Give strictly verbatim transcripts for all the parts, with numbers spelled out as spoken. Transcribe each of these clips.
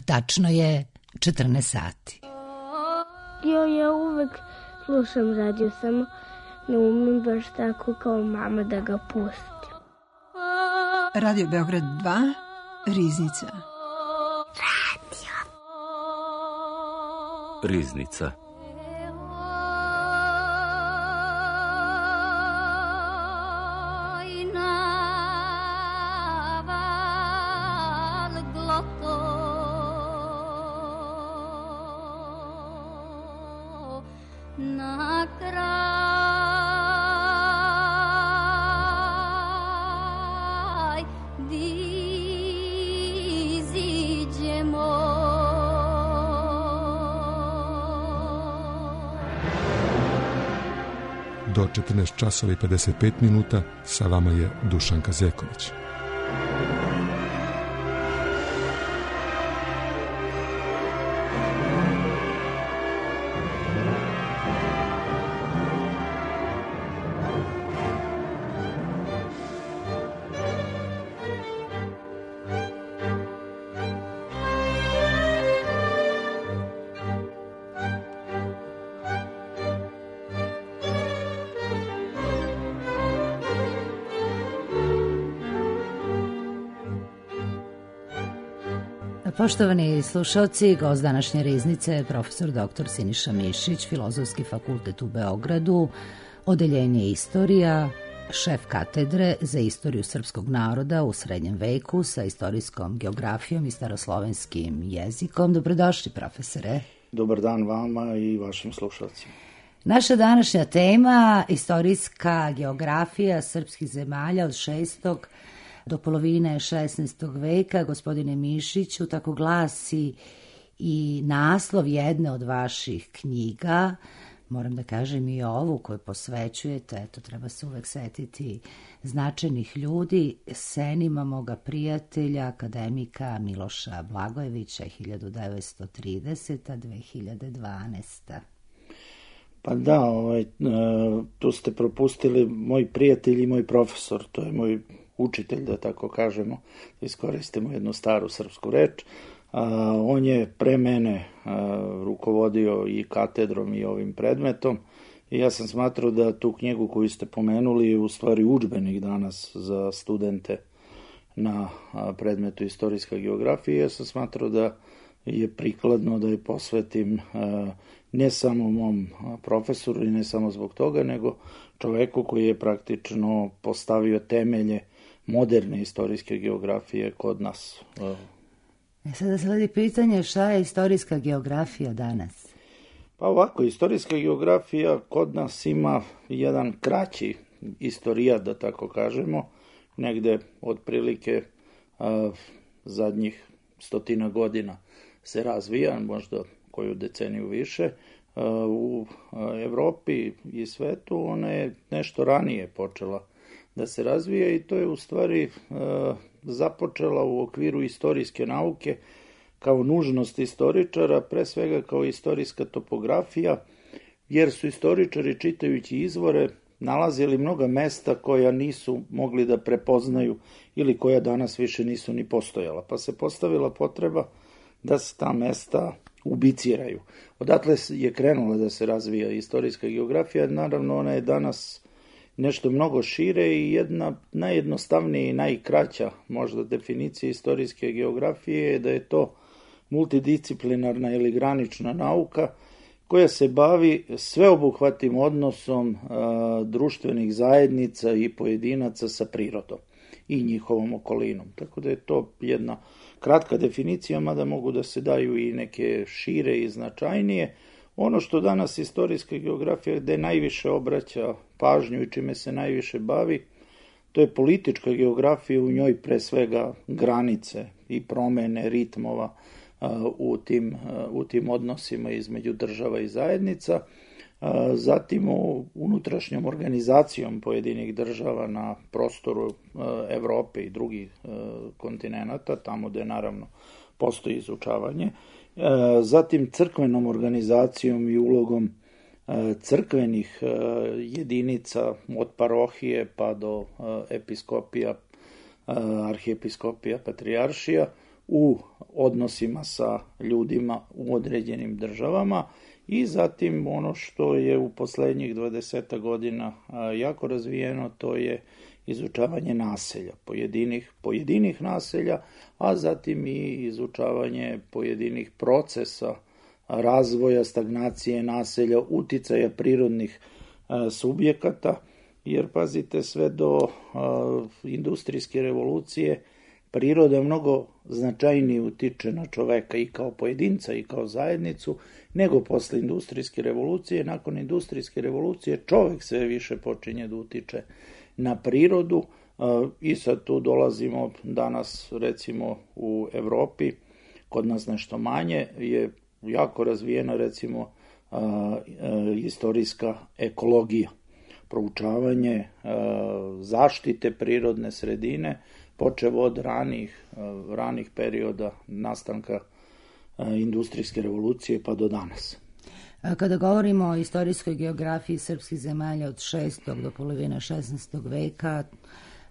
Tačno je četrnaest sati. Jo, ja uvek slušam radio, samo ne umem baš tako kao mama da ga pustim. Radio Beograd dva, Riznica. Radio. Riznica. Do četrnaest časova i pedeset pet minuta sa vama je Dušanka Zeković. Poštovani slušalci, gost današnje Riznice je profesor doktor Siniša Mišić, Filozofski fakultet u Beogradu, odeljenje istorija, šef katedre za istoriju srpskog naroda u srednjem veku sa istorijskom geografijom i staroslovenskim jezikom. Dobrodošli, profesore. Dobar dan vama i vašim slušalcima. Naša današnja tema, istorijska geografija srpskih zemalja od šestog do polovine šesnaestog veka. Gospodine Mišiću, tako glasi i naslov jedne od vaših knjiga. Moram da kažem i ovu koju posvećujete, eto, treba se uvek setiti značajnih ljudi, senima moga prijatelja, akademika Miloša Blagojevića, hiljadu devetsto trideseta do dve hiljade dvanaeste. Pa da, ovaj, tu ste propustili moj prijatelj i moj profesor, to je moj učitelj, da tako kažemo, iskoristimo jednu staru srpsku reč. A, on je pre mene a, rukovodio i katedrom i ovim predmetom i ja sam smatrao da tu knjigu koju ste pomenuli je u stvari udžbenik danas za studente na a, predmetu istorijska geografija. Ja sam smatrao da je prikladno da je posvetim a, ne samo mom profesoru i ne samo zbog toga, nego čoveku koji je praktično postavio temelje moderne istorijske geografije kod nas. E sada sledi pitanje šta je istorijska geografija danas? Pa ovako, istorijska geografija kod nas ima jedan kraći istorijat, da tako kažemo, negde otprilike a, zadnjih stotina godina se razvija, možda koju deceniju više. A, u a, Evropi i svetu ona je nešto ranije počela da se razvija i to je u stvari e, započela u okviru istorijske nauke kao nužnost istoričara, pre svega kao istorijska topografija, jer su istoričari čitajući izvore nalazili mnoga mesta koja nisu mogli da prepoznaju ili koja danas više nisu ni postojala, pa se postavila potreba da se ta mesta ubiciraju. Odatle je krenula da se razvija istorijska geografija, naravno ona je danas nešto mnogo šire i jedna najjednostavnija i najkraća možda definicija istorijske geografije je da je to multidisciplinarna ili granična nauka koja se bavi sveobuhvatnim odnosom a, društvenih zajednica i pojedinaca sa prirodom i njihovom okolinom. Tako da je to jedna kratka definicija, mada mogu da se daju i neke šire i značajnije. Ono što danas istorijska geografija gde najviše obraća pažnju i čime se najviše bavi, to je politička geografija, u njoj pre svega granice i promene ritmova a, u, tim, a, u tim odnosima između država i zajednica, a, zatim u unutrašnjom organizacijom pojedinih država na prostoru a, Evrope i drugih a, kontinenata, tamo gde naravno postoji izučavanje, zatim crkvenom organizacijom i ulogom crkvenih jedinica od parohije pa do episkopija, arhiepiskopija, patrijaršija u odnosima sa ljudima u određenim državama i zatim ono što je u poslednjih dvadeset godina jako razvijeno, to je izučavanje naselja, pojedinih, pojedinih naselja, a zatim i izučavanje pojedinih procesa razvoja, stagnacije naselja, uticaja prirodnih subjekata, jer pazite, sve do industrijske revolucije priroda mnogo značajnije utiče na čoveka i kao pojedinca i kao zajednicu nego posle industrijske revolucije. Nakon industrijske revolucije čovek sve više počinje da utiče na prirodu i sad tu dolazimo danas recimo u Evropi, kod nas nešto manje, je jako razvijena recimo istorijska ekologija, proučavanje zaštite prirodne sredine, počev od ranih, ranih perioda nastanka industrijske revolucije pa do danas. Kada govorimo o istorijskoj geografiji srpskih zemalja od šestog do polovine šesnaestog veka,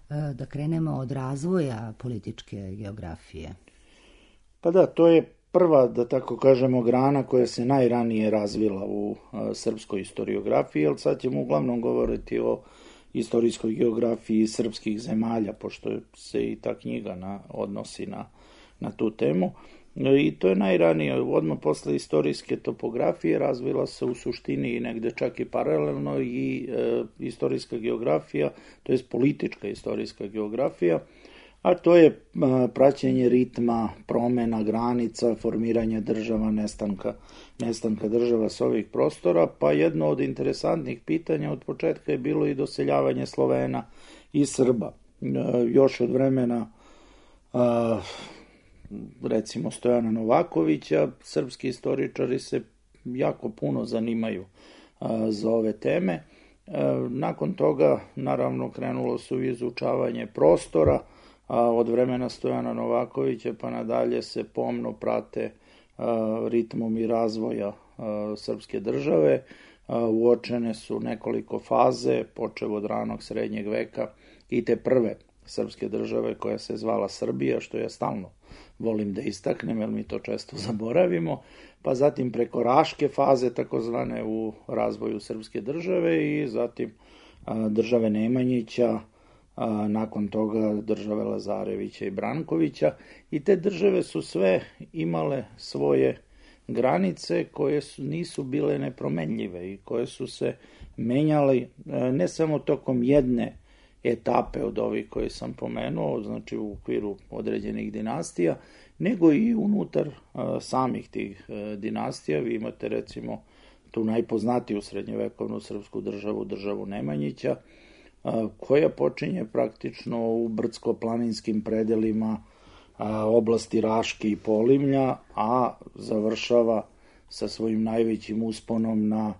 da krenemo od razvoja političke geografije. Pa da, to je prva, da tako kažemo, grana koja se najranije razvila u srpskoj historiografiji, jer sad ćemo uglavnom govoriti o istorijskoj geografiji srpskih zemalja, pošto se i ta knjiga na, odnosi na, na tu temu. I to je najranije, odmah posle istorijske topografije razvila se u suštini i negde čak i paralelno i e, istorijska geografija, to je politička istorijska geografija, a to je a, praćenje ritma, promena, granica, formiranja država, nestanka, nestanka država s ovih prostora, pa jedno od interesantnih pitanja od početka je bilo i doseljavanje Slovena i Srba. E, još od vremena a, recimo Stojana Novakovića, srpski istoričari se jako puno zanimaju a, za ove teme. E, nakon toga, naravno, krenulo su izučavanje prostora, a od vremena Stojana Novakovića pa nadalje se pomno prate a, ritmom i razvoja a, srpske države. A, uočene su nekoliko faze, počev od ranog srednjeg veka i te prve srpske države koja se zvala Srbija, što ja stalno volim da istaknem, jer mi to često zaboravimo, pa zatim preko Raške faze, takozvane u razvoju srpske države, i zatim a, države Nemanjića, a, nakon toga države Lazarevića i Brankovića, i te države su sve imale svoje granice koje su, nisu bile nepromenljive i koje su se menjale ne samo tokom jedne etape od ovih koje sam pomenuo, znači u okviru određenih dinastija, nego i unutar a, samih tih a, dinastija. Vi imate recimo tu najpoznatiju srednjevekovnu srpsku državu, državu Nemanjića, a, koja počinje praktično u brdsko-planinskim predelima a, oblasti Raške i Polimlja, a završava sa svojim najvećim usponom na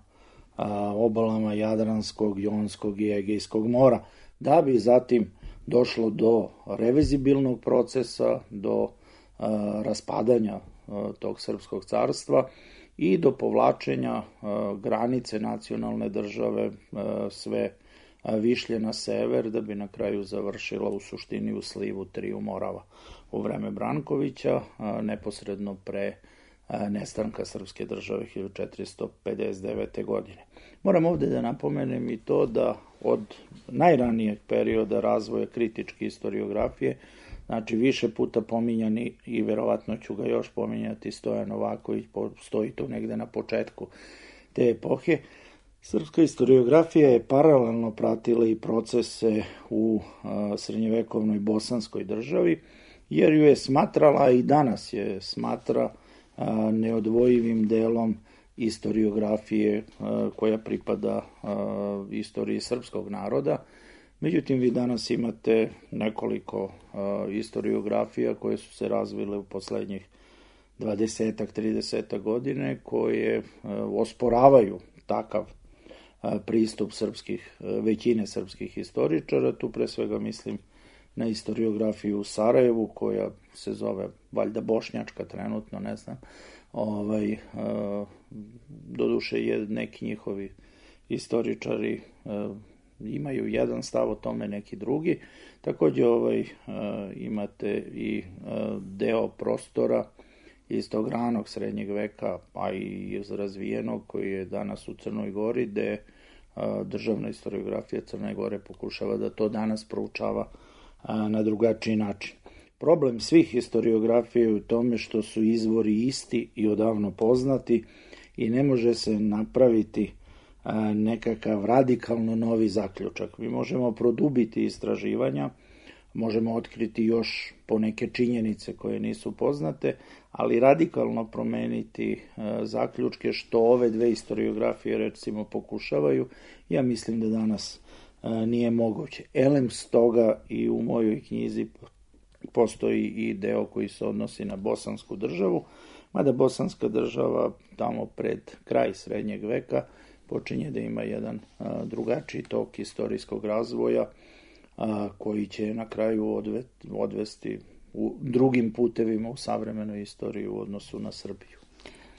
a, obalama Jadranskog, Jonskog i Egejskog mora, da bi zatim došlo do reverzibilnog procesa, do a, raspadanja a, tog srpskog carstva i do povlačenja a, granice nacionalne države a, sve a, višlje na sever, da bi na kraju završila u suštini u slivu Triju Morava u vreme Brankovića, a, neposredno pre a, nestanka srpske države hiljadu četiristo pedeset devete. godine. Moram ovde da napomenem i to da od najranijeg perioda razvoja kritičke historiografije, znači više puta pominjani i verovatno ću ga još pominjati Stojan Novaković, stoji tu negde na početku te epohe, srpska historiografija je paralelno pratila i procese u a, srednjevekovnoj bosanskoj državi, jer ju je smatrala i danas je smatra a, neodvojivim delom historiografije a, koja pripada a, istoriji srpskog naroda. Međutim, vi danas imate nekoliko a, historiografija koje su se razvile u poslednjih dvadesetak, tridesetak godine, koje a, osporavaju takav a, pristup srpskih, a, većine srpskih historičara. Tu pre svega mislim na historiografiju u Sarajevu, koja se zove valjda bošnjačka trenutno, ne znam. Ovaj, a, doduše je neki njihovi historičari a, imaju jedan stav o tome, neki drugi. Također ovaj, imate i deo prostora iz tog ranog srednjeg veka, a i iz razvijenog koji je danas u Crnoj Gori, gde državna historiografija Crne Gore pokušava da to danas proučava na drugačiji način. Problem svih historiografija je u tome što su izvori isti i odavno poznati i ne može se napraviti nekakav radikalno novi zaključak. Mi možemo produbiti istraživanja, možemo otkriti još poneke činjenice koje nisu poznate, ali radikalno promeniti zaključke što ove dve historiografije recimo pokušavaju, ja mislim da danas nije moguće. Elem stoga i u mojoj knjizi postoji i deo koji se odnosi na bosansku državu, mada bosanska država tamo pred kraj srednjeg veka počinje da ima jedan a, drugačiji tok istorijskog razvoja a, koji će na kraju odve, odvesti u drugim putevima u savremenoj istoriji u odnosu na Srbiju.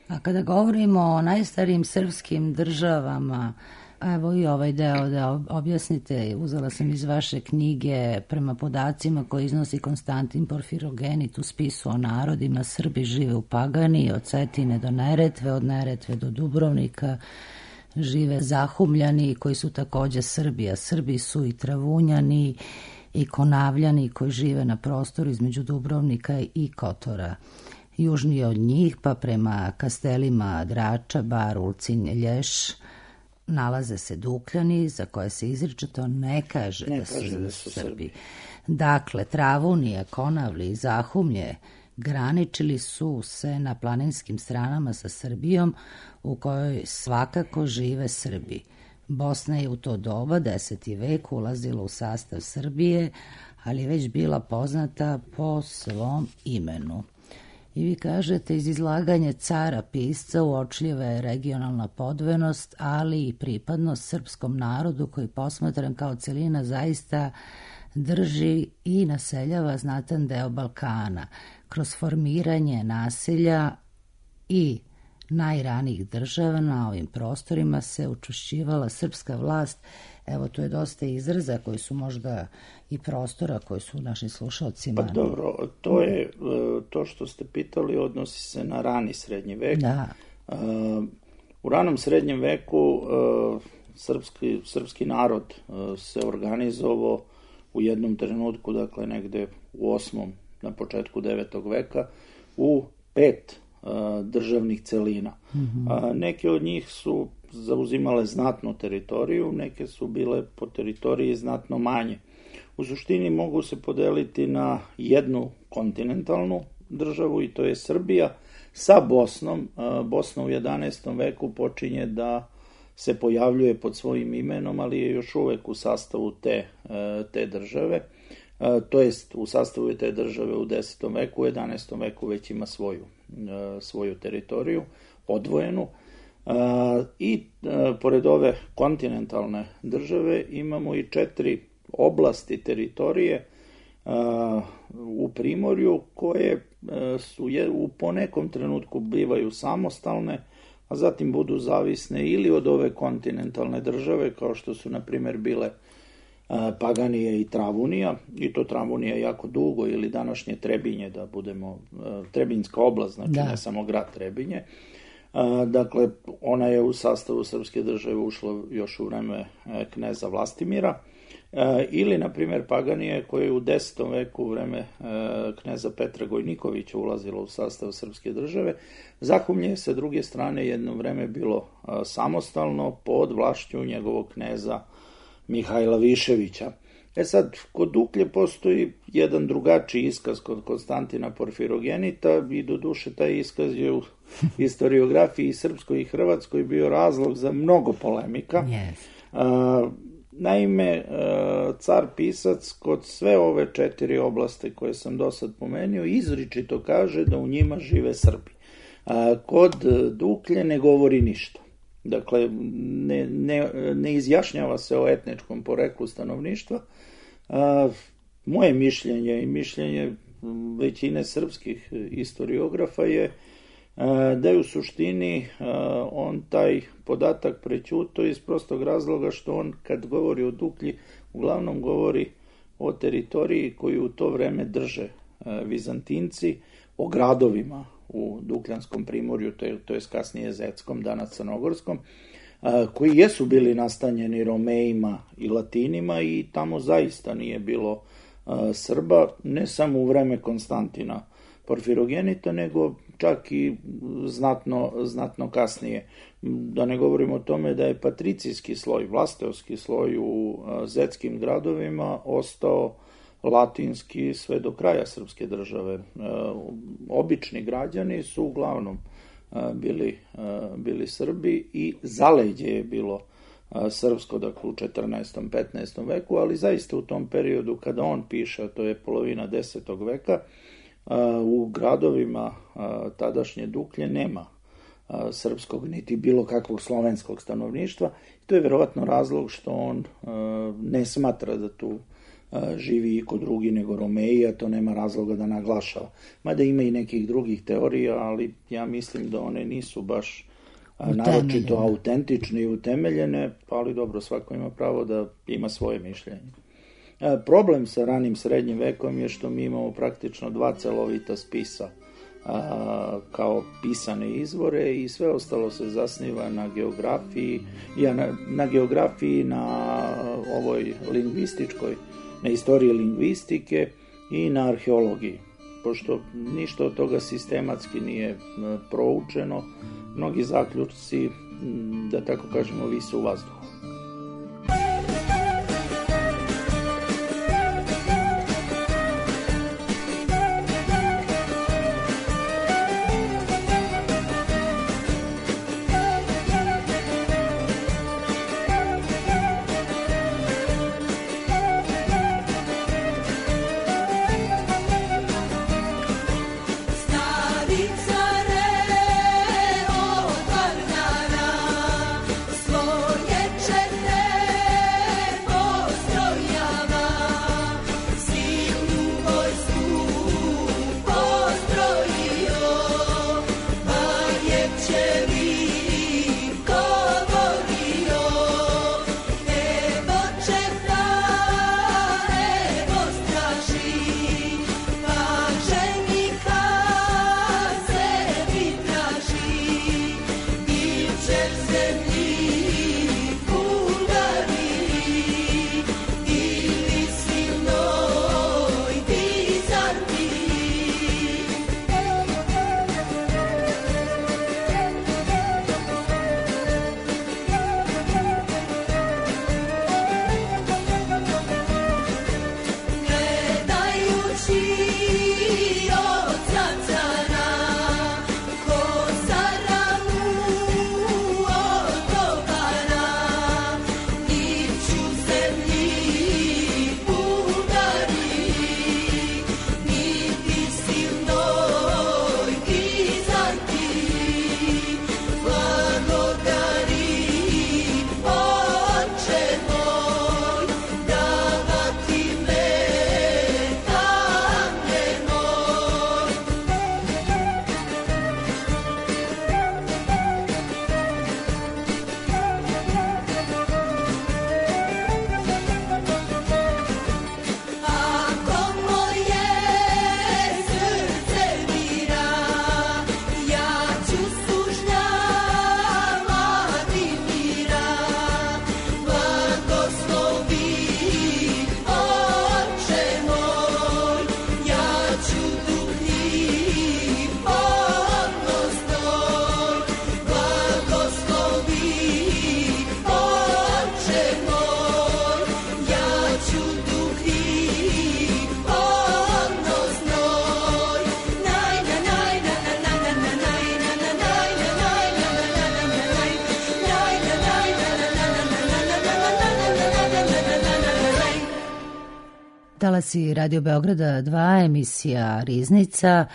A kada govorimo o najstarijim srpskim državama, evo i ovaj deo da objasnite, uzela sam iz vaše knjige prema podacima koje iznosi Konstantin Porfirogenit u spisu o narodima, Srbi žive u Paganiji, od Cetine do Neretve, od Neretve do Dubrovnika, žive Zahumljani koji su također Srbi, a Srbi su i Travunjani i Konavljani koji žive na prostoru između Dubrovnika i Kotora. Južnije od njih pa prema kastelima Drača, Bar, Ulcinj, Lješ nalaze se Dukljani za koje se izričito ne kaže, ne da, su kaže da su Srbi. Srbi. Dakle, Travunije, Konavli i Zahumlje graničili su se na planinskim stranama sa Srbijom u kojoj svakako žive Srbi. Bosna je u to doba, deseti vek, ulazila u sastav Srbije, ali je već bila poznata po svom imenu. I vi kažete, iz izlaganja cara pisca uočljiva je regionalna podvenost, ali i pripadnost srpskom narodu koji posmatran kao celina zaista drži i naseljava znatan deo Balkana. Kroz formiranje naselja i najranijih država na ovim prostorima se učvršćivala srpska vlast. Evo, tu je dosta izraza koji su možda i prostora koji su našim slušalcima. Pa dobro, to je to što ste pitali, odnosi se na rani srednji vek. Da. U ranom srednjem veku srpski, srpski narod se organizovao u jednom trenutku, dakle negde u osmom, na početku devetog veka, u pet državnih celina. Mm-hmm. Neke od njih su zauzimale znatnu teritoriju, neke su bile po teritoriji znatno manje. U suštini mogu se podeliti na jednu kontinentalnu državu i to je Srbija sa Bosnom. Bosna u jedanaestom veku počinje da se pojavljuje pod svojim imenom, ali je još uvek u sastavu te, te države. To jest u sastavu te države u desetom veku, u jedanaestom veku već ima svoju, svoju teritoriju, odvojenu. I pored ove kontinentalne države imamo i četiri oblasti teritorije u Primorju koje su u po nekom trenutku bivaju samostalne, a zatim budu zavisne ili od ove kontinentalne države, kao što su na primjer bile Paganije i Travunija, i to Travunija jako dugo, ili današnje Trebinje, da budemo, Trebinjska oblast, znači da. Ne samo grad Trebinje. Dakle, ona je u sastavu srpske države ušla još u vreme kneza Vlastimira, ili, na primjer, Paganije koje je u desetom veku u vreme kneza Petra Gojnikovića ulazilo u sastav srpske države. Zahumlje sa druge strane jedno vreme bilo samostalno pod vlašću njegovog kneza Mihajla Viševića. E sad, kod Duklje postoji jedan drugačiji iskaz kod Konstantina Porfirogenita i doduše taj iskaz je u historiografiji srpskoj i hrvatskoj bio razlog za mnogo polemika. Yes. A, naime, a, car pisac kod sve ove četiri oblasti koje sam do sad pomenuo izričito kaže da u njima žive Srbi. A, kod Duklje ne govori ništa. Dakle, ne, ne, ne izjašnjava se o etničkom poreklu stanovništva. A, moje mišljenje i mišljenje većine srpskih historiografa je da je u suštini on taj podatak prećuto iz prostog razloga što on kad govori o Duklji uglavnom govori o teritoriji koju u to vreme drže Vizantinci, o gradovima u Dukljanskom primorju, to je kasnije Zetskom, danas Crnogorskom, koji jesu bili nastanjeni Romejima i Latinima i tamo zaista nije bilo Srba, ne samo u vreme Konstantina Porfirogenita, nego čak i znatno, znatno kasnije. Da ne govorimo o tome da je patricijski sloj, vlasteovski sloj u zetskim gradovima ostao latinski sve do kraja srpske države. Obični građani su uglavnom bili, bili Srbi i zaleđe je bilo srpsko, dakle u četrnaestom. petnaestom veku, ali zaista u tom periodu kada on piše, a to je polovina desetog veka, u gradovima tadašnje Duklje nema srpskog niti bilo kakvog slovenskog stanovništva. To je verovatno razlog što on ne smatra da tu živi i kod drugi nego Romeji, a to nema razloga da naglašava. Mada ima i nekih drugih teorija, ali ja mislim da one nisu baš naročito autentične i utemeljene, ali dobro, svako ima pravo da ima svoje mišljenje. Problem sa ranim srednjim vekom je što mi imamo praktično dva celovita spisa a, kao pisane izvore i sve ostalo se zasniva na geografiji, ja, na, na geografiji, na ovoj lingvističkoj, na istoriji lingvistike i na arheologiji. Pošto ništa od toga sistematski nije proučeno, mnogi zaključci, da tako kažemo, visu u vazduhu. Talasi Radio Beograda dva, emisija Riznica.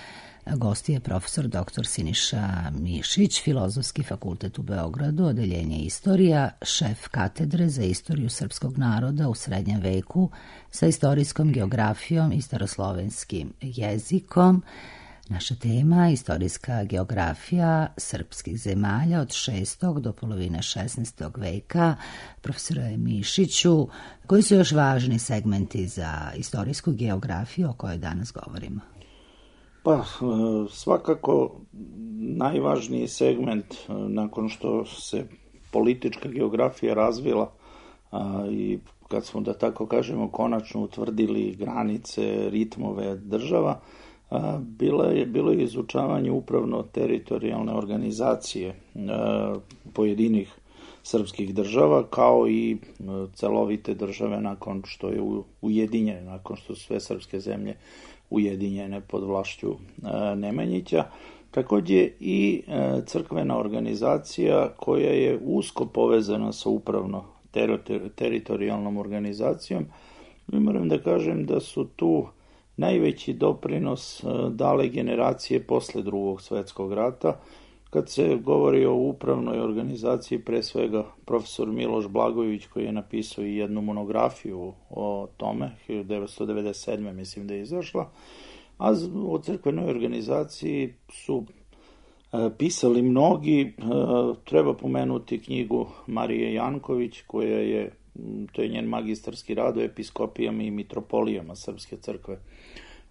Gost je profesor doktor Siniša Mišić, Filozofski fakultet u Beogradu, odeljenje istorija, šef katedre za istoriju srpskog naroda u srednjem veku sa istorijskom geografijom i staroslovenskim jezikom. Naša tema je istorijska geografija srpskih zemalja od šestog do polovine šesnaestog veka. Profesore Mišiću, koji su još važni segmenti za istorijsku geografiju o kojoj danas govorimo? Pa, svakako najvažniji segment nakon što se politička geografija razvila i kad smo, da tako kažemo, konačno utvrdili granice, ritmove država, bilo je, bilo je izučavanje upravno-teritorijalne organizacije pojedinih srpskih država, kao i celovite države nakon što je ujedinjene, nakon što su sve srpske zemlje ujedinjene pod vlašću Nemanjića. Također i crkvena organizacija koja je usko povezana sa upravno teritorijalnom organizacijom. I moram da kažem da su tu najveći doprinos dale generacije posle Drugog svjetskog rata. Kad se govori o upravnoj organizaciji, pre svega profesor Miloš Blagojević, koji je napisao i jednu monografiju o tome, hiljadu devetsto devedeset sedme mislim da je izašla, a o crkvenoj organizaciji su pisali mnogi. Treba pomenuti knjigu Marije Janković, koja je, to je njen magistarski rad o episkopijama i mitropolijama Srpske crkve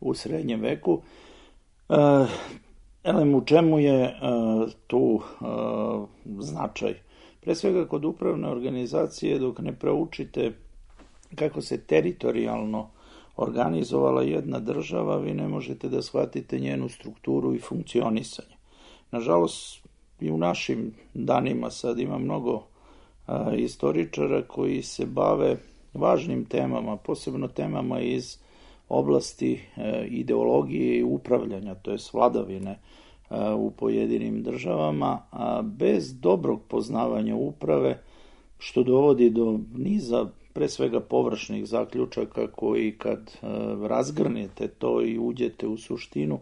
u srednjem veku. Elem, u čemu je tu značaj? Pre svega kod upravne organizacije, dok ne proučite kako se teritorijalno organizovala jedna država, vi ne možete da shvatite njenu strukturu i funkcionisanje. Nažalost, i u našim danima sad ima mnogo a, istoričara koji se bave važnim temama, posebno temama iz oblasti e, ideologije i upravljanja, to je vladavine e, u pojedinim državama, a bez dobrog poznavanja uprave, što dovodi do niza pre svega površnih zaključaka koji kad e, razgrnete to i uđete u suštinu,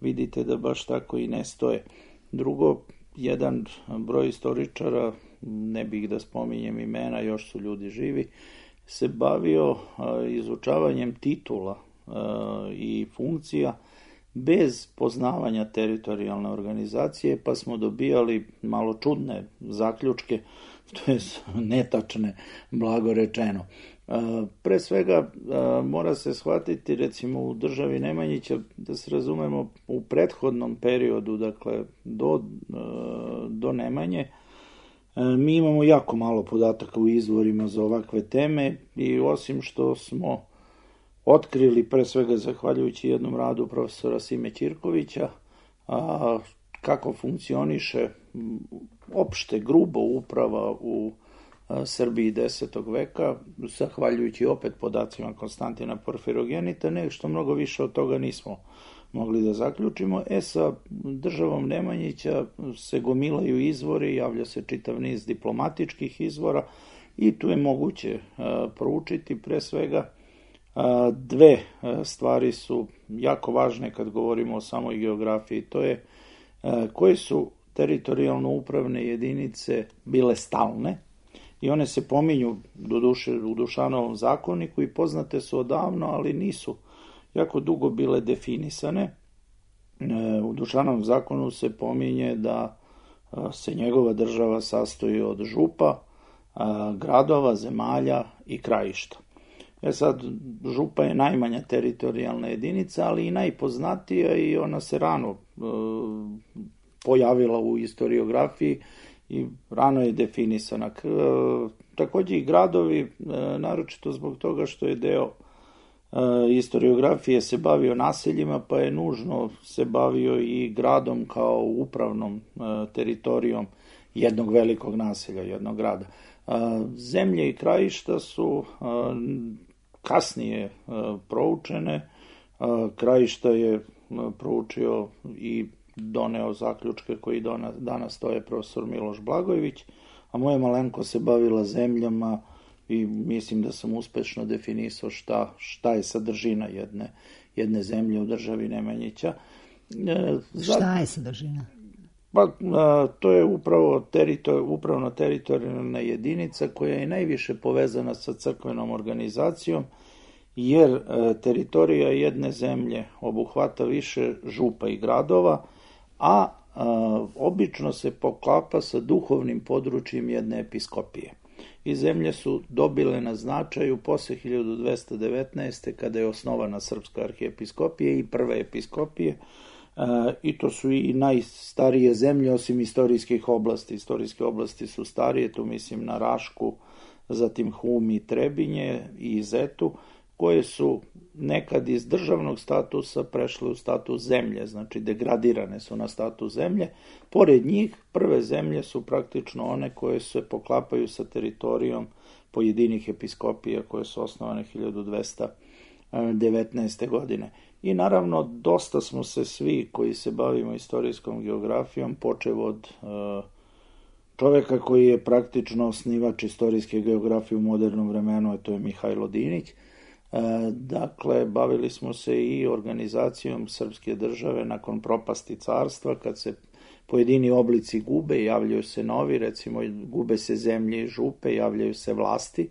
vidite da baš tako i ne stoje. Drugo, jedan broj istoričara, ne bih da spominjem imena, još su ljudi živi, se bavio izučavanjem titula i funkcija bez poznavanja teritorijalne organizacije, pa smo dobijali malo čudne zaključke, to je netačne, blago rečeno. Pre svega mora se shvatiti, recimo u državi Nemanjića, da se razumemo, u prethodnom periodu, dakle do, do Nemanje, mi imamo jako malo podataka u izvorima za ovakve teme i osim što smo otkrili, pre svega zahvaljujući jednom radu profesora Sime Ćirkovića, a, kako funkcioniše opšte grubo uprava u a, Srbiji desetog veka, zahvaljujući opet podacima Konstantina Porfirogenita, nešto mnogo više od toga nismo mogli da zaključimo. E, sa državom Nemanjića se gomilaju izvori, javlja se čitav niz diplomatičkih izvora i tu je moguće a, proučiti pre svega a, dve a, stvari su jako važne kad govorimo o samoj geografiji. To je a, koje su teritorijalno upravne jedinice bile stalne i one se pominju do duše u Dušanovom zakoniku i poznate su odavno, ali nisu jako dugo bile definisane. U Dušanovom zakonu se pominje da se njegova država sastoji od župa, gradova, zemalja i krajišta. E sad, župa je najmanja teritorijalna jedinica, ali i najpoznatija i ona se rano e, pojavila u historiografiji i rano je definisana. E, također i gradovi, e, naročito zbog toga što je deo historiografije se bavio naseljima, pa je nužno se bavio i gradom kao upravnom teritorijom jednog velikog naselja, jednog grada. Zemlje i krajišta su kasnije proučene. Krajišta je proučio i doneo zaključke koji danas stoje profesor Miloš Blagojević, a moja malenko se bavila zemljama i mislim da sam uspešno definisao šta, šta je sadržina jedne, jedne zemlje u državi Nemanjića. E, za... Šta je sadržina? Pa, a, to je upravo teritor, upravno teritorijalna jedinica koja je najviše povezana sa crkvenom organizacijom jer e, teritorija jedne zemlje obuhvata više župa i gradova, a e, obično se poklapa sa duhovnim područjem jedne episkopije. I zemlje su dobile na značaju posle hiljadu dvesta devetnaeste. kada je osnovana Srpska arhijepiskopija i prve episkopije, e, i to su i najstarije zemlje osim istorijskih oblasti. Istorijske oblasti su starije, tu mislim na Rašku, zatim Hum i Trebinje i Izetu, koje su nekad iz državnog statusa prešle u status zemlje, znači degradirane su na status zemlje. Pored njih, prve zemlje su praktično one koje se poklapaju sa teritorijom pojedinih episkopija koje su osnovane hiljadu dvesta devetnaeste. godine. I naravno, dosta smo se svi koji se bavimo istorijskom geografijom, počev od uh, čoveka koji je praktično osnivač istorijske geografije u modernom vremenu, a to je Mihajlo Dinić. Dakle, bavili smo se i organizacijom srpske države nakon propasti carstva, kad se pojedini oblici gube, javljaju se novi, recimo gube se zemlje i župe, javljaju se vlasti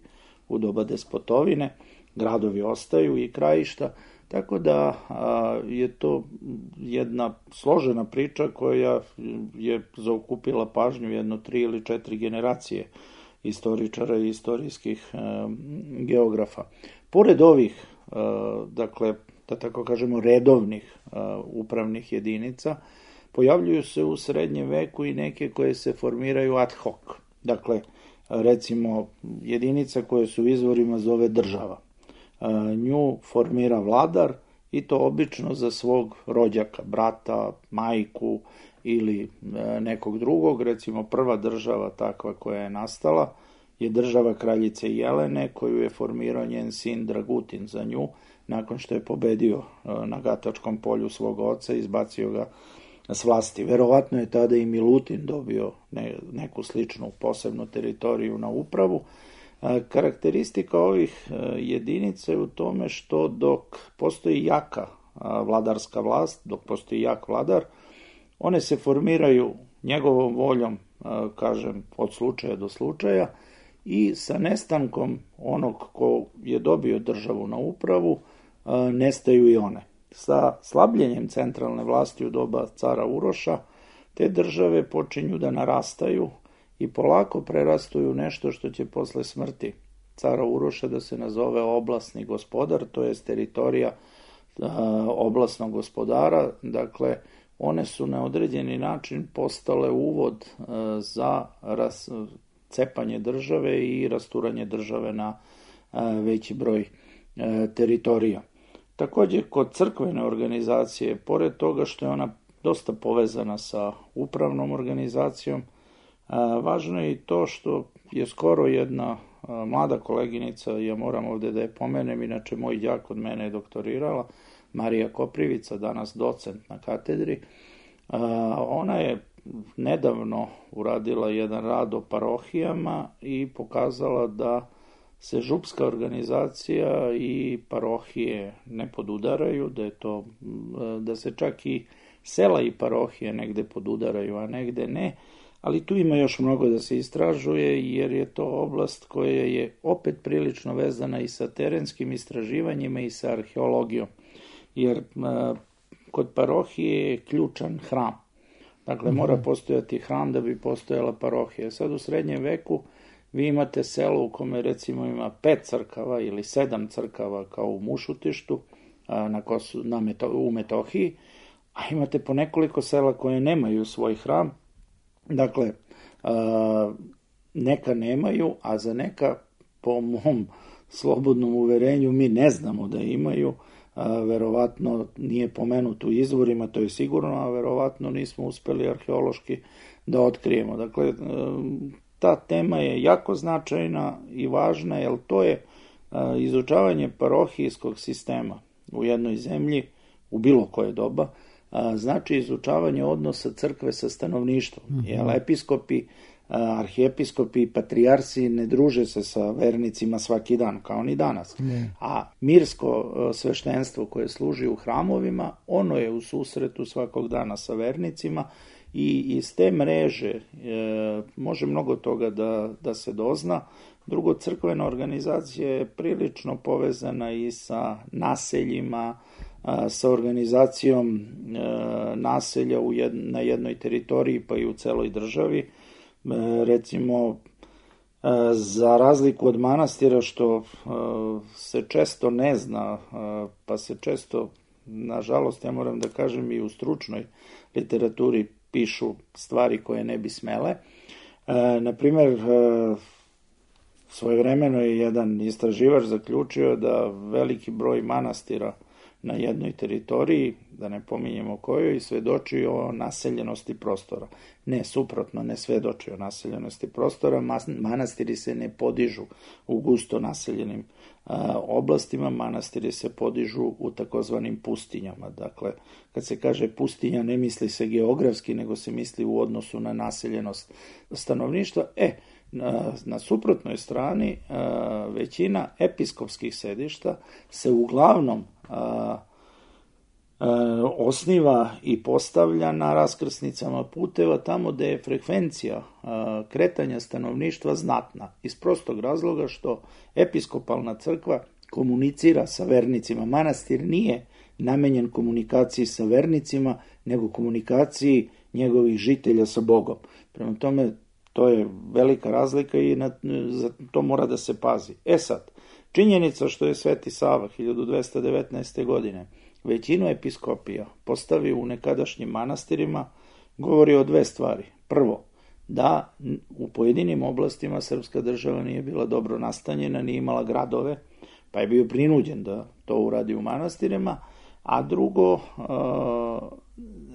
u doba despotovine, gradovi ostaju i krajišta, tako da a, je to jedna složena priča koja je zaokupila pažnju jedno tri ili četiri generacije istoričara i istorijskih a, geografa. Pored ovih, dakle, da tako kažemo, redovnih upravnih jedinica, pojavljuju se u srednjem veku i neke koje se formiraju ad hoc. Dakle, recimo, jedinica koje su u izvorima zove država. Nju formira vladar i to obično za svog rođaka, brata, majku ili nekog drugog. Recimo, prva država takva koja je nastala je država kraljice Jelene, koju je formirao njen sin Dragutin za nju, nakon što je pobedio na Gatačkom polju svog oca i izbacio ga s vlasti. Verovatno je tada i Milutin dobio ne, neku sličnu posebnu teritoriju na upravu. Karakteristika ovih jedinica je u tome što dok postoji jaka vladarska vlast, dok postoji jak vladar, one se formiraju njegovom voljom, kažem, od slučaja do slučaja, i sa nestankom onog ko je dobio državu na upravu, nestaju i one. Sa slabljenjem centralne vlasti u doba cara Uroša, te države počinju da narastaju i polako prerastuju nešto što će posle smrti cara Uroša da se nazove oblasni gospodar, to je teritorija oblasnog gospodara. Dakle, one su na određeni način postale uvod za ras cepanje države i rasturanje države na veći broj teritorija. Također, kod crkvene organizacije, pored toga što je ona dosta povezana sa upravnom organizacijom, važno je i to što je skoro jedna mlada koleginica, ja moram ovdje da je pomenem, inače moj đak od mene je doktorirala, Marija Koprivica, danas docent na katedri. Ona je nedavno uradila jedan rad o parohijama i pokazala da se župska organizacija i parohije ne podudaraju, da je to, da se čak i sela i parohije negde podudaraju, a negde ne, ali tu ima još mnogo da se istražuje, jer je to oblast koja je opet prilično vezana i sa terenskim istraživanjima i sa arheologijom, jer kod parohije je ključan hram. Dakle, mora postojati hram da bi postojala parohija. Sad u srednjem veku vi imate selo u kome recimo ima pet crkava ili sedam crkava kao u Mušutištu na Kosu, na Meto, u Metohiji, a imate po nekoliko sela koje nemaju svoj hram. Dakle, neka nemaju, a za neka, po mom slobodnom uverenju, mi ne znamo da imaju. A, verovatno nije pomenut u izvorima, to je sigurno, a verovatno nismo uspeli arheološki da otkrijemo. Dakle, ta tema je jako značajna i važna, jer to je izučavanje parohijskog sistema u jednoj zemlji, u bilo koje doba, znači izučavanje odnosa crkve sa stanovništvom. Mm-hmm. Jer episkopi, arhijepiskopi i patrijarsi ne druže se sa vernicima svaki dan, kao ni danas. Mm. A mirsko sveštenstvo koje služi u hramovima, ono je u susretu svakog dana sa vernicima i iz te mreže e, može mnogo toga da, da se dozna. Drugo, crkvena organizacija je prilično povezana i sa naseljima, sa organizacijom naselja u jed, na jednoj teritoriji pa i u celoj državi. Recimo, za razliku od manastira, što se često ne zna, pa se često, nažalost, ja moram da kažem, i u stručnoj literaturi pišu stvari koje ne bi smele. Naprimer, svojevremeno je jedan istraživač zaključio da veliki broj manastira na jednoj teritoriji, da ne pominjemo kojoj, svedoči o naseljenosti prostora. Ne, suprotno, ne svedoči o naseljenosti prostora, manastiri se ne podižu u gusto naseljenim a, oblastima, manastiri se podižu u takozvanim pustinjama. Dakle, kad se kaže pustinja, ne misli se geografski, nego se misli u odnosu na naseljenost stanovništva. E, na, na suprotnoj strani a, većina episkopskih sedišta se uglavnom a, osniva i postavlja na raskrsnicama puteva tamo gde je frekvencija kretanja stanovništva znatna. Iz prostog razloga što episkopalna crkva komunicira sa vernicima. Manastir nije namenjen komunikaciji sa vernicima, nego komunikaciji njegovih žitelja sa Bogom. Prema tome, to je velika razlika i na za to mora da se pazi. E sad, činjenica što je Sveti Sava hiljadu dvesta devetnaeste. godine većinu episkopija postavio u nekadašnjim manastirima, govori o dve stvari. Prvo, da u pojedinim oblastima srpska država nije bila dobro nastanjena, nije imala gradove, pa je bio prinuđen da to uradi u manastirima, a drugo,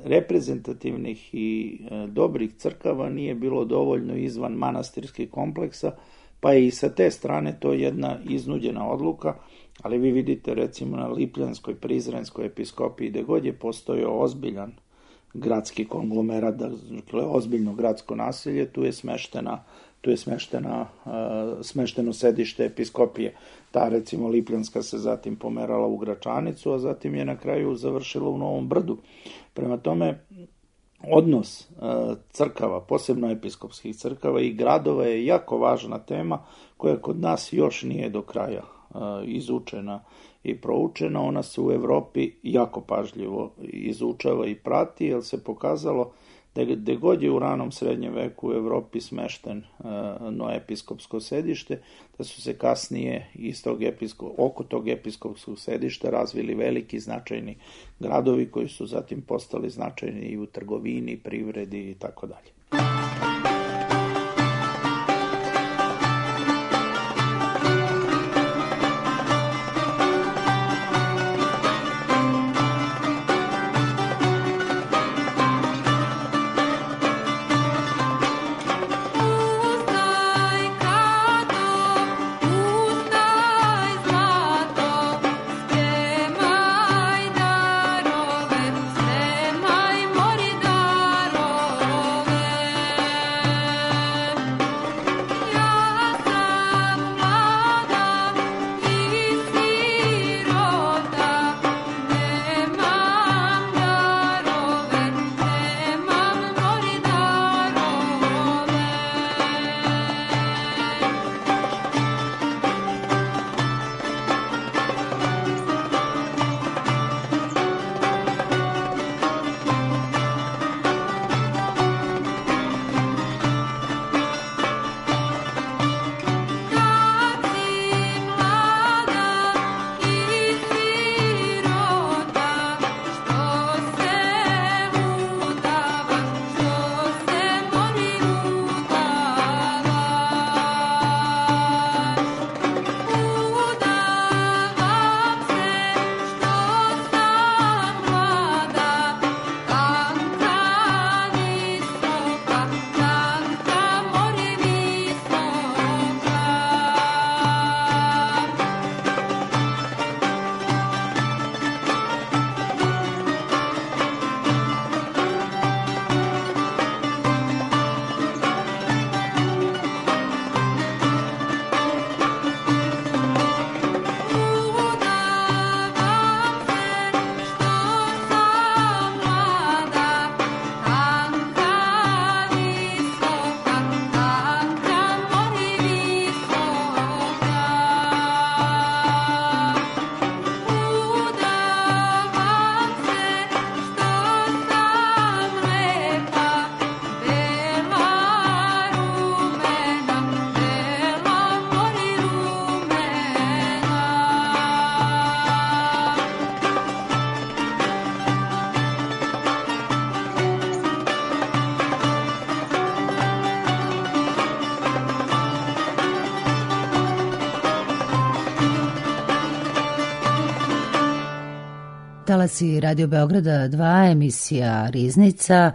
reprezentativnih i dobrih crkava nije bilo dovoljno izvan manastirskih kompleksa, pa je i sa te strane to jedna iznuđena odluka, ali vi vidite recimo na Lipljanskoj, Prizrenskoj episkopiji, gde god je postojao ozbiljan gradski konglomerat, dakle ozbiljno gradsko naselje, tu je smeštena, tu je smeštena, uh, smešteno sedište episkopije. Ta recimo Lipljanska se zatim pomerala u Gračanicu, a zatim je na kraju završila u Novom Brdu. Prema tome, odnos uh, crkava, posebno episkopskih crkava i gradova je jako važna tema koja kod nas još nije do kraja uh, izučena i proučena. Ona se u Evropi jako pažljivo izučava i prati, jer se pokazalo da gde god je u ranom srednjem veku u Evropi smešten uh, no episkopsko sedište, da su se kasnije iz tog episkop, oko tog episkopskog sedišta razvili veliki značajni gradovi koji su zatim postali značajni i u trgovini, privredi i tako dalje. Spremaj mori darove, Talasi Radio Beograda dva, emisija Riznica.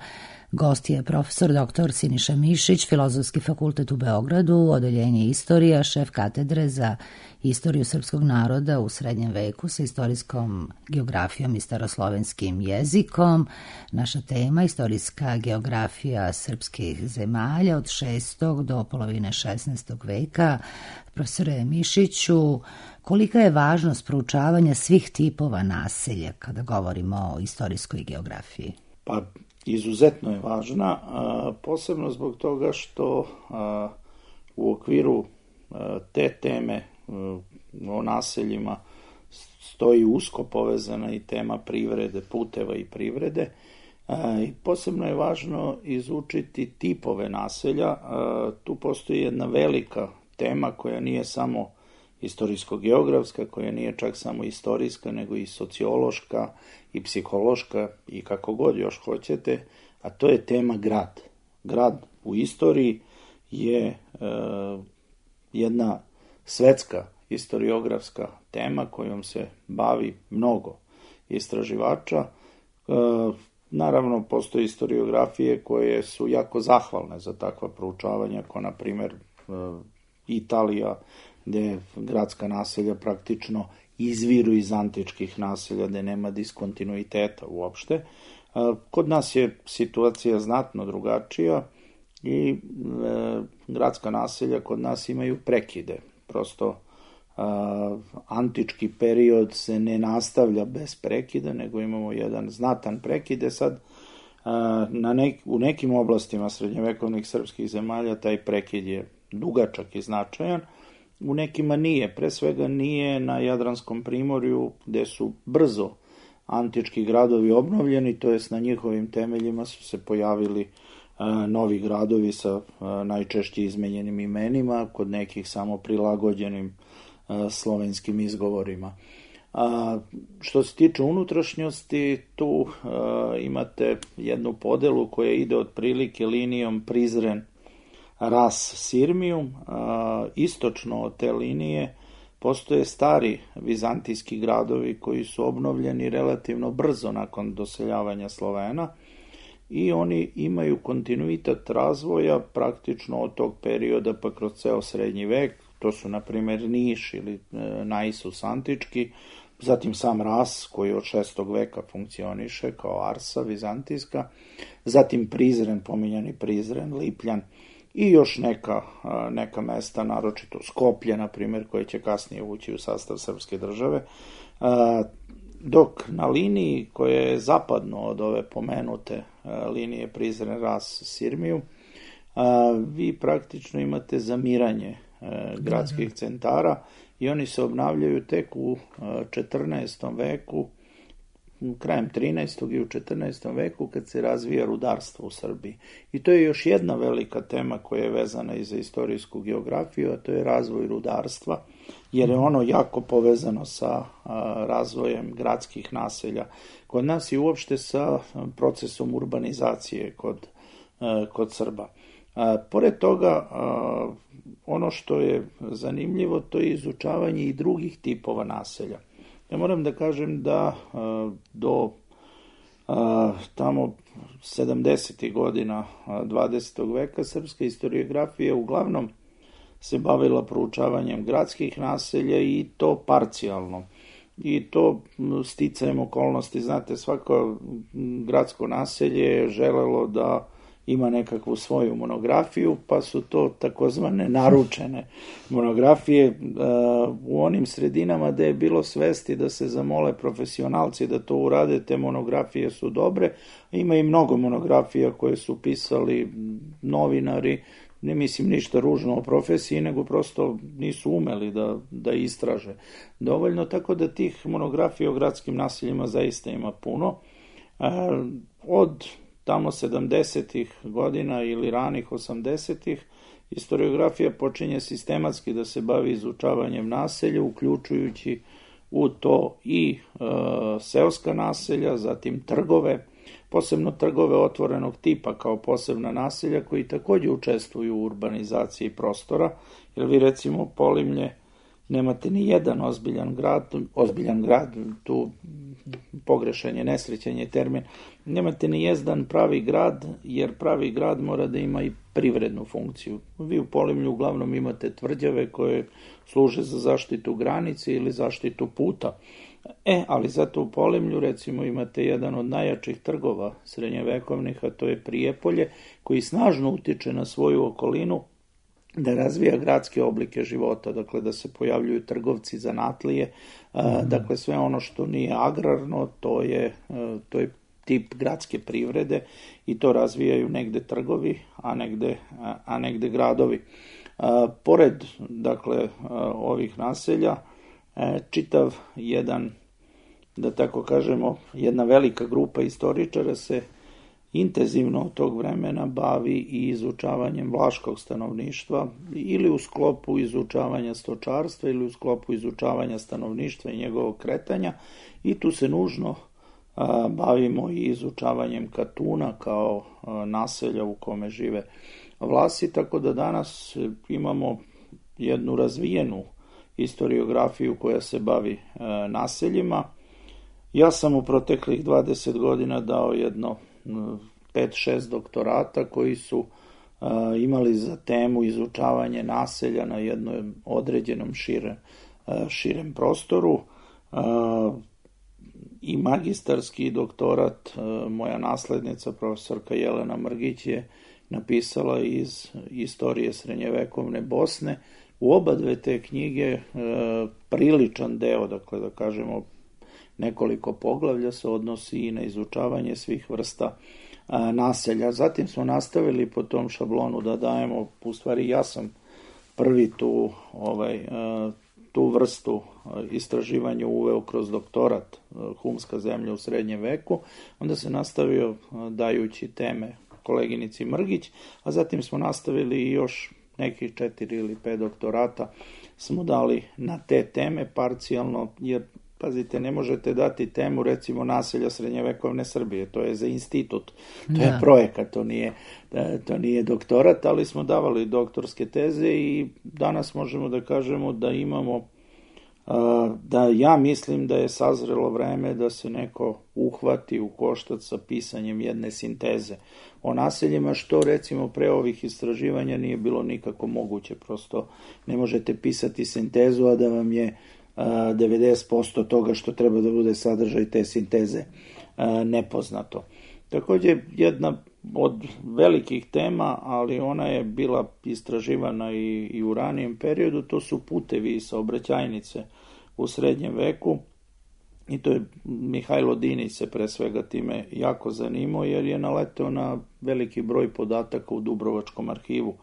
Gost je profesor doktor Siniša Mišić, Filozofski fakultet u Beogradu, odeljenje istorija, šef katedre za istoriju srpskog naroda u srednjem veku sa istorijskom geografijom i staroslovenskim jezikom. Naša tema istorijska geografija srpskih zemalja od šestog do polovine šesnaestog veka. Profesore Mišiću, kolika je važnost proučavanja svih tipova naselja kada govorimo o istorijskoj geografiji? Pa izuzetno je važna, a, posebno zbog toga što a, u okviru a, te teme a, o naseljima stoji usko povezana i tema privrede, puteva i privrede. A, i posebno je važno izučiti tipove naselja. A, tu postoji jedna velika tema koja nije samo istorijsko-geografska, koja nije čak samo istorijska, nego i sociološka i psihološka i kako god još hoćete, a to je tema grad. Grad u istoriji je e, jedna svetska istoriografska tema kojom se bavi mnogo istraživača. E, naravno, postoje istoriografije koje su jako zahvalne za takva proučavanja, kao na primjer e, Italija, gde gradska naselja praktično izviru iz antičkih naselja, gde nema diskontinuiteta uopšte. Kod nas je situacija znatno drugačija i e, gradska naselja kod nas imaju prekide. Prosto a, antički period se ne nastavlja bez prekida, nego imamo jedan znatan prekide. Sad, a, na nek, u nekim oblastima srednjevekovnih srpskih zemalja taj prekid je dugačak i značajan, u nekima nije. Pre svega nije na Jadranskom primorju, gde su brzo antički gradovi obnovljeni, to jest na njihovim temeljima su se pojavili a, novi gradovi sa a, najčešće izmenjenim imenima, kod nekih samo prilagođenim a, slovenskim izgovorima. A, što se tiče unutrašnjosti, tu a, imate jednu podelu koja ide otprilike linijom Prizren, Ras, Sirmijum. A, istočno od te linije postoje stari vizantijski gradovi koji su obnovljeni relativno brzo nakon doseljavanja Slovena i oni imaju kontinuitet razvoja praktično od tog perioda pa kroz ceo srednji vek. To su na primjer Niš ili e, Naisus antički, zatim sam Ras koji od šestog veka funkcioniše kao Arsa vizantijska, zatim Prizren, pominjani Prizren, Lipljan, i još neka, neka mesta, naročito Skoplje, na primjer, koje će kasnije ući u sastav srpske države. Dok na liniji koja je zapadno od ove pomenute linije Prizren, Ras, Sirmiju, vi praktično imate zamiranje gradskih centara i oni se obnavljaju tek u četrnaestom veku, krajem trinaestog i u četrnaestom veku kad se razvija rudarstvo u Srbiji. I to je još jedna velika tema koja je vezana i za istorijsku geografiju, a to je razvoj rudarstva, jer je ono jako povezano sa a, razvojem gradskih naselja kod nas i uopšte sa procesom urbanizacije kod, a, kod Srba. A, pored toga, a, ono što je zanimljivo, to je izučavanje i drugih tipova naselja. Ja moram da kažem da a, do a, tamo sedamdesetih godina dvadesetog veka srpska istoriografija uglavnom se bavila proučavanjem gradskih naselja i to parcijalno. I to sticajem okolnosti, znate, svako gradsko naselje je želelo da ima nekakvu svoju monografiju, pa su to takozvane naručene monografije u onim sredinama gde je bilo svesti da se zamole profesionalci da to urade, te monografije su dobre. Ima i mnogo monografija koje su pisali novinari, ne mislim ništa ružno o profesiji, nego prosto nisu umeli da, da istraže dovoljno, tako da tih monografija o gradskim naseljima zaista ima puno. Od tamo sedamdesetih godina ili ranih osamdesetih historiografija počinje sistematski da se bavi izučavanjem naselja, uključujući u to i e, seoska naselja, zatim trgove, posebno trgove otvorenog tipa kao posebna naselja koji također učestvuju u urbanizaciji prostora, jer vi recimo Polimlje nemate ni jedan ozbiljan grad, ozbiljan grad, tu pogrešan je, nesrećan je termin, nemate ni jedan pravi grad, jer pravi grad mora da ima i privrednu funkciju. Vi u Polimlju uglavnom imate tvrđave koje služe za zaštitu granice ili zaštitu puta. E, ali zato u Polimlju recimo imate jedan od najjačih trgova srednjevekovnih, a to je Prijepolje, koji snažno utiče na svoju okolinu da razvija gradske oblike života, dakle da se pojavljuju trgovci, zanatlije, mm-hmm. dakle sve ono što nije agrarno, to je, to je tip gradske privrede i to razvijaju negde trgovi, a negde, a negde gradovi. A, pored, dakle, ovih naselja, čitav jedan, da tako kažemo, jedna velika grupa istoričara se intenzivno od tog vremena bavi i izučavanjem vlaškog stanovništva ili u sklopu izučavanja stočarstva ili u sklopu izučavanja stanovništva i njegovog kretanja i tu se nužno a, bavimo i izučavanjem Katuna kao a, naselja u kome žive Vlasi, tako da danas imamo jednu razvijenu historiografiju koja se bavi a, naseljima. Ja sam u proteklih dvadeset godina dao jedno pet šest doktorata koji su a, imali za temu izučavanje naselja na jednom određenom širem, a, širem prostoru. A, I magistarski doktorat a, moja naslednica, profesorka Jelena Mrgić, je napisala iz istorije srednjevekovne Bosne. U oba dve te knjige a, priličan deo, dakle da kažemo nekoliko poglavlja, se odnosi i na izučavanje svih vrsta a, naselja. Zatim smo nastavili po tom šablonu da dajemo, u stvari ja sam prvi tu, ovaj, a, tu vrstu istraživanja uveo kroz doktorat a, Humska zemlja u srednjem veku, onda se nastavio a, dajući teme koleginici Mrgić, a zatim smo nastavili i još nekih četiri ili pet doktorata smo dali na te teme parcijalno, jer pazite, ne možete dati temu recimo naselja srednjevekovne Srbije, to je za institut, to da. je projekat, to nije, to nije doktorat, ali smo davali doktorske teze i danas možemo da kažemo da imamo, da ja mislim da je sazrelo vreme da se neko uhvati u koštac sa pisanjem jedne sinteze o naseljima, što recimo pre ovih istraživanja nije bilo nikako moguće, prosto ne možete pisati sintezu, a da vam je devedeset posto toga što treba da bude sadržaj te sinteze nepoznato. Također jedna od velikih tema, ali ona je bila istraživana i, i u ranijem periodu, to su putevi i saobraćajnice u srednjem veku i to je Mihajlo Dinić se pre svega time jako zanimao jer je naleteo na veliki broj podataka u Dubrovačkom arhivu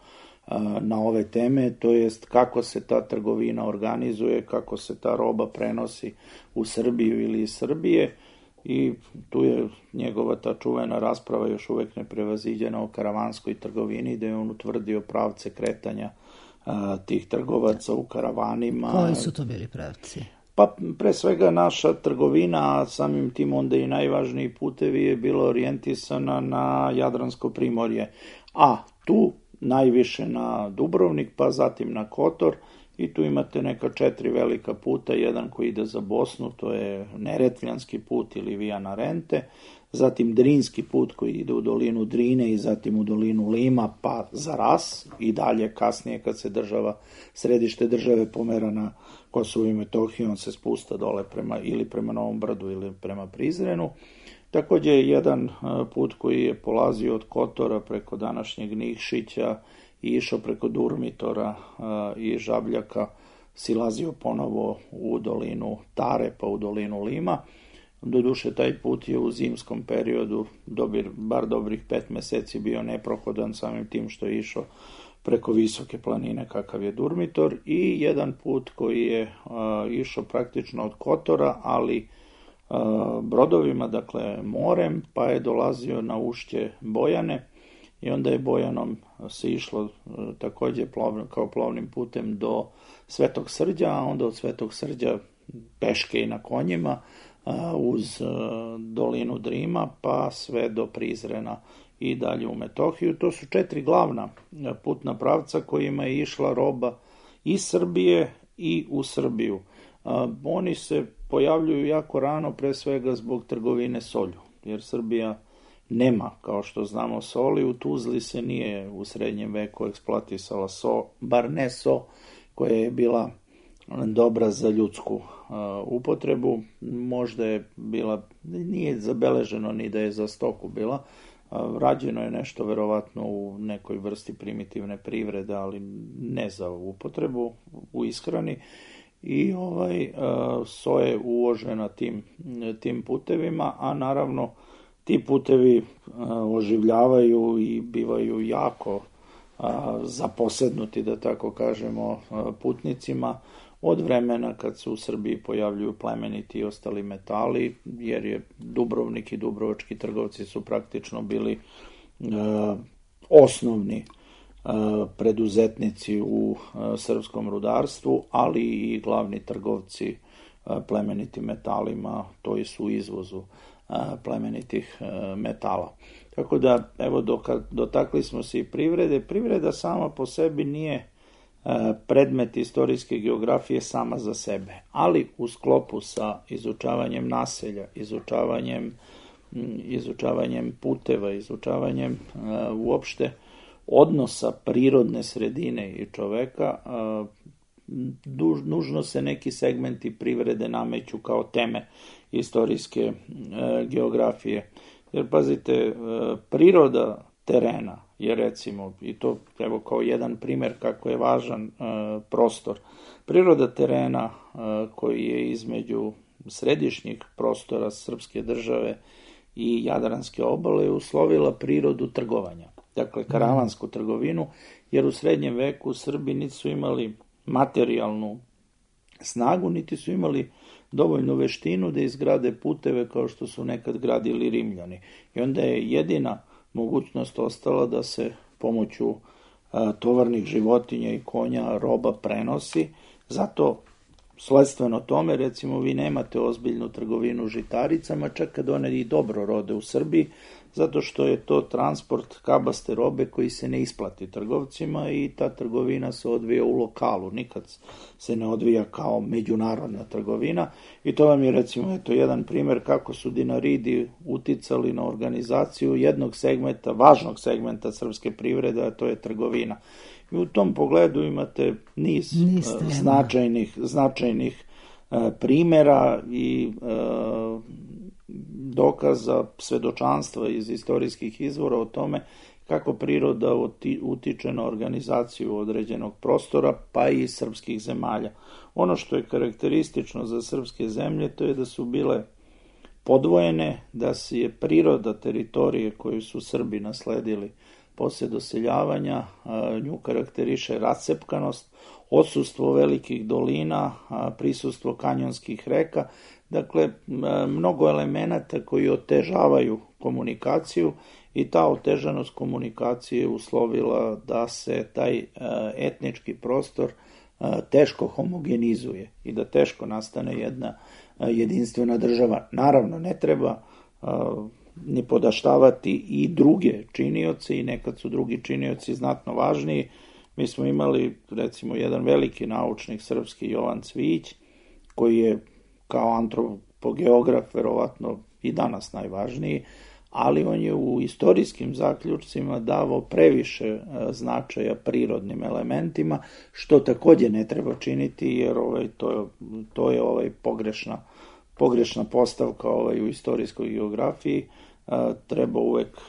na ove teme, to jest kako se ta trgovina organizuje, kako se ta roba prenosi u Srbiju ili iz Srbije i tu je njegova ta čuvena rasprava još uvek neprevaziđena o karavanskoj trgovini, gde je on utvrdio pravce kretanja a, tih trgovaca u karavanima. Koji su to bili pravci? Pa pre svega naša trgovina, a samim tim onda i najvažniji putevi je bilo orijentisana na Jadransko primorje, a tu najviše na Dubrovnik, pa zatim na Kotor i tu imate neka četiri velika puta, jedan koji ide za Bosnu, to je Neretljanski put ili Via Narente, zatim Drinski put koji ide u dolinu Drine i zatim u dolinu Lima, pa za Ras i dalje kasnije kad se država, središte države pomera na Kosovo i Metohiju, on se spusta dole prema, ili prema Novom Brdu ili prema Prizrenu. Također je jedan put koji je polazio od Kotora preko današnjeg Nikšića i išao preko Durmitora i Žabljaka, silazio ponovo u dolinu Tare pa u dolinu Lima. Doduše taj put je u zimskom periodu dobir, bar dobrih pet meseci bio neprohodan samim tim što je išao preko visoke planine kakav je Durmitor i jedan put koji je a, išao praktično od Kotora, ali a, brodovima, dakle morem, pa je dolazio na ušće Bojane i onda je Bojanom se išlo a, također plovno, kao plovnim putem do Svetog Srđa, a onda od Svetog Srđa peške i na konjima a, uz a, dolinu Drima pa sve do Prizrena i dalje u Metohiju. To su četiri glavna putna pravca kojima je išla roba iz Srbije i u Srbiju. A, oni se pojavljuju jako rano, pre svega zbog trgovine solju, jer Srbija nema, kao što znamo, soli. U Tuzli se nije u srednjem veku eksploatisala so, bar ne so, koja je bila dobra za ljudsku uh, upotrebu. Možda je bila, nije zabeleženo ni da je za stoku bila. Uh, rađeno je nešto verovatno u nekoj vrsti primitivne privrede, ali ne za upotrebu u ishrani. I ovaj uh, soja je uvožena tim, tim putevima, a naravno ti putevi uh, oživljavaju i bivaju jako uh, zaposednuti, da tako kažemo, uh, putnicima od vremena kad se u Srbiji pojavljuju plemeniti i ostali metali, jer je Dubrovnik i dubrovački trgovci su praktično bili uh, osnovni uh, preduzetnici u uh, srpskom rudarstvu, ali i glavni trgovci uh, plemenitim metalima, to je su izvozu uh, plemenitih uh, metala. Tako da, evo, dotakli smo se i privrede. Privreda sama po sebi nije predmet istorijske geografije sama za sebe, ali u sklopu sa izučavanjem naselja, izučavanjem, izučavanjem puteva, izučavanjem uh, uopšte odnosa prirodne sredine i čoveka, uh, duž, nužno se neki segmenti privrede nameću kao teme istorijske uh, geografije. Jer pazite, uh, priroda terena je, recimo, i to evo kao jedan primjer kako je važan e, prostor. Priroda terena e, koji je između središnjih prostora srpske države i Jadranske obale uslovila prirodu trgovanja. Dakle, karavansku trgovinu, jer u srednjem veku Srbi niti su imali materijalnu snagu, niti su imali dovoljnu veštinu da izgrade puteve kao što su nekad gradili Rimljani. I onda je jedina mogućnost ostala da se pomoću a, tovarnih životinja i konja roba prenosi. Zato, sledstveno tome, recimo, vi nemate ozbiljnu trgovinu žitaricama, čak kad one i dobro rode u Srbiji, zato što je to transport kabaste robe koji se ne isplati trgovcima i ta trgovina se odvija u lokalu, nikad se ne odvija kao međunarodna trgovina. I to vam je, recimo, eto, jedan primjer kako su dinaridi uticali na organizaciju jednog segmenta, važnog segmenta srpske privrede, a to je trgovina. I u tom pogledu imate niz uh, značajnih, značajnih uh, primjera i uh, dokaza, svedočanstva iz istorijskih izvora o tome kako priroda utiče na organizaciju određenog prostora, pa i srpskih zemalja. Ono što je karakteristično za srpske zemlje, to je da su bile podvojene, da se je priroda teritorije koju su Srbi nasledili posle doseljavanja, nju karakteriše rascepkanost, odsustvo velikih dolina, prisustvo kanjonskih reka, dakle, mnogo elemenata koji otežavaju komunikaciju i ta otežanost komunikacije je uslovila da se taj etnički prostor teško homogenizuje i da teško nastane jedna jedinstvena država. Naravno, ne treba ni podaštavati i druge činioce i nekad su drugi činioci znatno važniji. Mi smo imali, recimo, jedan veliki naučnik srpski, Jovan Cvijić, koji je kao antropogeograf verovatno i danas najvažniji, ali on je u istorijskim zaključcima davao previše značaja prirodnim elementima, što također ne treba činiti, jer ovaj, to je, to je ovaj pogrešna, pogrešna postavka ovaj, u istorijskoj geografiji. Treba uvek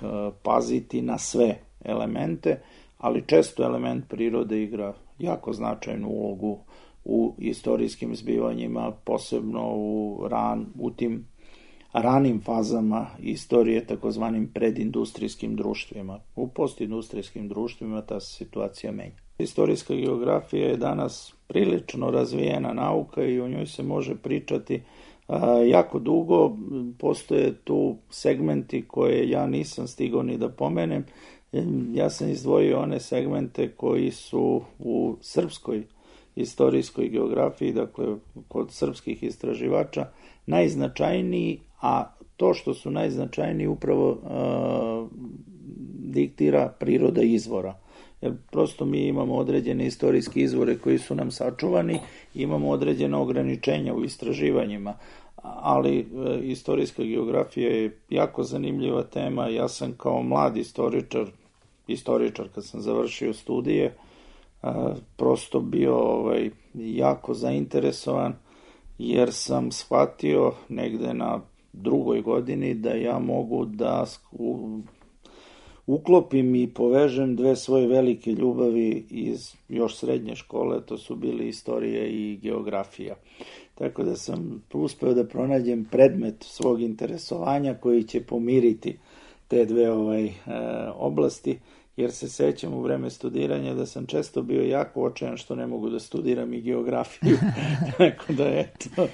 paziti na sve elemente, ali često element prirode igra jako značajnu ulogu u istorijskim zbivanjima, posebno u, ran, u tim ranim fazama istorije, takozvanim predindustrijskim društvima. U postindustrijskim društvima ta situacija menja. Istorijska geografija je danas prilično razvijena nauka i o njoj se može pričati a, jako dugo. Postoje tu segmenti koje ja nisam stigao ni da pomenem. Ja sam izdvojio one segmente koji su u srpskoj istorijskoj geografiji, dakle kod srpskih istraživača, najznačajniji, a to što su najznačajniji upravo uh, diktira priroda izvora. jer prosto mi imamo određene istorijske izvore koji su nam sačuvani, imamo određena ograničenja u istraživanjima, ali e, istorijska geografija je jako zanimljiva tema. Ja sam kao mlad istoričar, istoričar kad sam završio studije, a, prosto bio ovaj, jako zainteresovan, jer sam shvatio negde na drugoj godini da ja mogu da u, uklopim i povežem dve svoje velike ljubavi iz još srednje škole, to su bili istorija i geografija. Tako da sam uspeo da pronađem predmet svog interesovanja koji će pomiriti te dve ovaj, e, oblasti, jer se sećam u vreme studiranja da sam često bio jako očajan što ne mogu da studiram i geografiju. Tako da eto.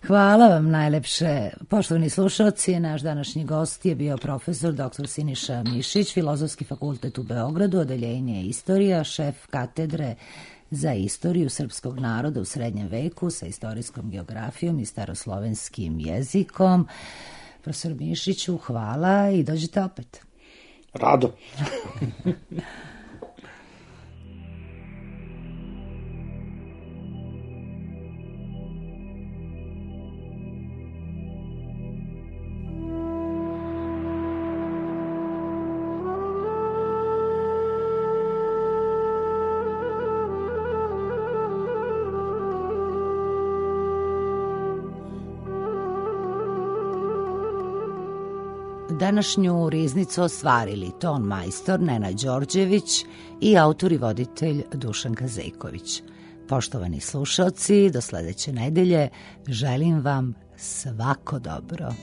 Hvala vam najlepše. Poštovani slušalci, naš današnji gost je bio profesor doktor Siniša Mišić, Filozofski fakultet u Beogradu, odeljenje istorija, šef katedre za istoriju srpskog naroda u srednjem veku sa istorijskom geografijom i staroslovenskim jezikom. Profesor Mišiću, hvala i dođite opet. Rado. Današnju riznicu ostvarili ton majstor Nenad Đorđević i autor i voditelj Dušan Kazejković. Poštovani slušalci, do sledeće nedelje želim vam svako dobro.